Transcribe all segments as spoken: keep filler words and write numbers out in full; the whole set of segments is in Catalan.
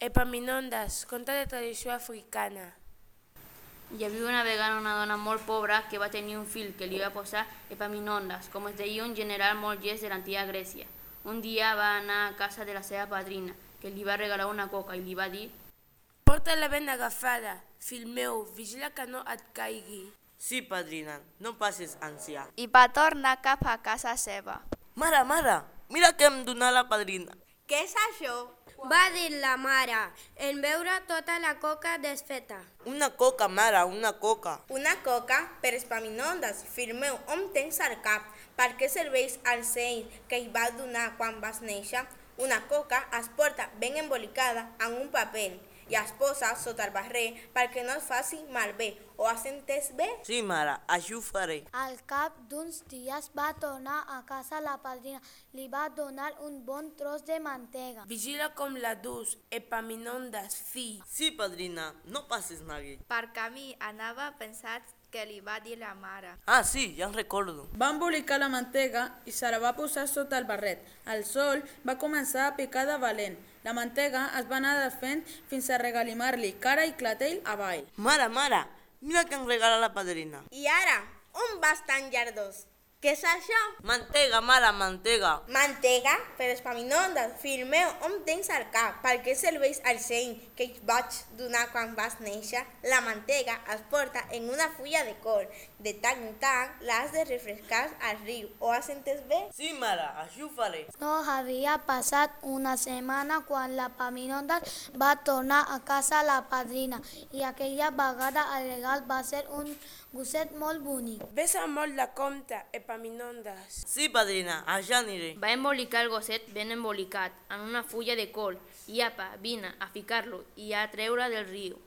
Epaminondes, conte de tradició africana. Hi havia una vegada una dona molt pobra que va tenir un fill que li va posar Epaminondes, com es deia un general molt llest de l'antiga Grècia. Un dia va anar a casa de la seva padrina, que li va regalar una coca i li va dir: Porta-la ben agafada, fill meu, vigila que no et caigui. Sí, padrina, no passis ànsia. I va tornar cap a casa seva. Mare, mare, mira què em donà la padrina. Què és això? Va dir la mare, en veure tota la coca desfeta. Una coca, mare, una coca. Una coca per Epaminondes, fill meu, on tens al cap? Per què serveix el seny que hi va donar quan vas néixer? Una coca es porta ben embolicada en un paper i es posa sota el barrer perquè no es faci malbé. Ho has entès bé? Sí, mare, així ho faré. Al cap d'uns dies va tornar a casa la padrina. Li va donar un bon tros de mantega. Vigila com la dus, Epaminondes, fill. Sí, padrina, no passis neguit. Per camí anava pensat que li va dir la mare. Ah, sí, ja en recordo. Va embolicar la mantega i se la va posar sota el barret. El sol va començar a picar de valent. La mantega es va anar desfent fins a regalimar-li cara i clatell avall. Mare, mare, mira que em regala la padrina. I ara, on vas tan llardós? Què és això? Mantega, mare, mantega. Mantega? Per Epaminondes, fill meu, on tens el cap? Per què serveix el seny que et vaig donar quan vas néixer? La mantega es porta en una fulla de col. De tant en tant l'has de refrescar al riu. Ho has entès bé? Sí, mare, així ho faré. No havia passat una setmana quan la Epaminondes va tornar a casa la padrina i aquella vegada el regal va ser un gosset molt bonic. Besa molt la compte, Epaminondes. Sí, padrina, allà aniré. Va embolicar el gosset ben embolicat en una fulla de col i apa, vine a ficar-lo i a treure del riu.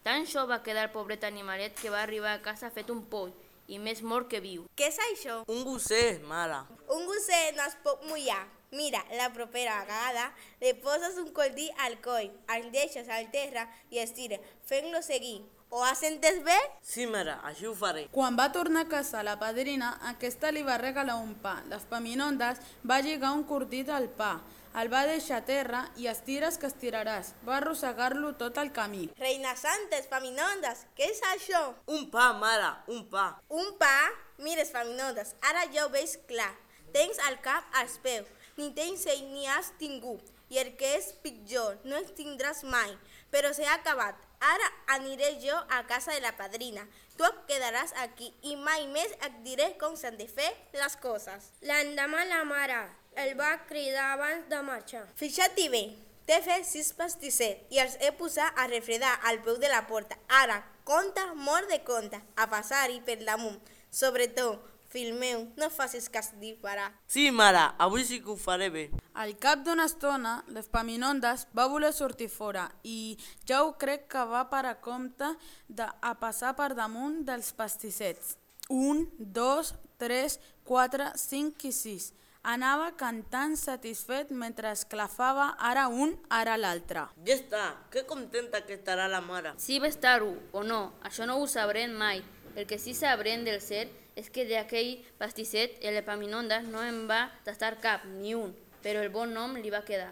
Tan xou va quedar el pobret animalet que va arribar a casa fet un poll i més mort que viu. Què és això? Un gosset, mare. Un gosset no es pot mullar. Mira, la propera vegada li poses un coldí al coll, el deixes al terra i estira, fent-lo seguir. Ho has entès bé? Sí, mare, així ho faré. Quan va tornar a casa la padrina, aquesta li va regalar un pa. L'Epaminondes va lligar un cordit al pa, el va deixar a terra i estires que estiraràs. Va arrossegar-lo tot el camí. Reina Santa, Epaminondes, què és això? Un pa, mare, un pa. Un pa? Mira, Epaminondes, ara ja ho veig clar. Tens el cap als peus, ni tens seny ni has tingut. I el que és pitjor, no en tindràs mai. Però s'ha acabat. Ara aniré jo a casa de la padrina. Tu et quedaràs aquí i mai més et diré com s'han de fer les coses. L'endemà la mare el va cridar abans de marxar. Fixa't-hi bé, t'he fet sis pastissets i els he posat a refredar al peu de la porta. Ara, compte, mort de compte, a passar-hi per damunt. Sobretot, fill meu, no facis cas disparar. Sí, mare, avui sí que ho faré bé. Al cap d'una estona, l'Epaminondes va voler sortir fora i ja ho crec que va per a compte de, a passar per damunt dels pastissets. Un, dos, tres, quatre, cinc i sis. Anava cantant satisfet mentre esclafava ara un, ara l'altre. Ja està, que contenta que estarà la mare. Si va estar-ho o no, això no ho sabrem mai. El que sí sabrem del cert és que d'aquell pastisset l'Epaminondes no en va tastar cap, ni un, però el bon nom li va quedar.